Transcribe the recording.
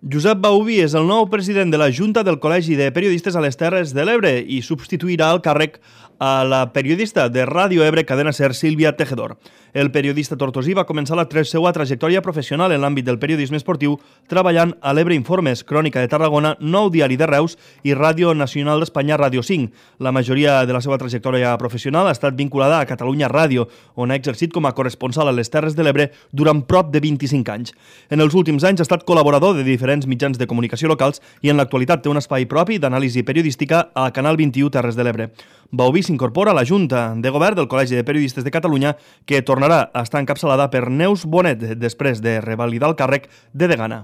Josep Bauví és el nou president de la Junta del Col·legi de Periodistes a les Terres de l'Ebre i substituirà el càrrec a la periodista de Ràdio Ebre Cadena Ser, Sílvia Tejedor. El periodista tortosí va començar la seva trajectòria professional en l'àmbit del periodisme esportiu treballant a l'Ebre Informes, Crònica de Tarragona, Nou Diari de Reus i Ràdio Nacional d'Espanya, Ràdio 5. La majoria de la seva trajectòria professional ha estat vinculada a Catalunya Ràdio, on ha exercit com a corresponsal a les Terres de l'Ebre durant prop de 25 anys. En els últims anys ha estat col·laborador de diferents mitjans de comunicació locals i en l'actualitat té un espai propi d'anàlisi periodística a Canal 21 Terres de l'Ebre. Bauví s'incorpora a la Junta de Govern del Col·legi de Periodistes de Catalunya, que tornarà a estar encapçalada per Neus Bonet després de revalidar el càrrec de degana.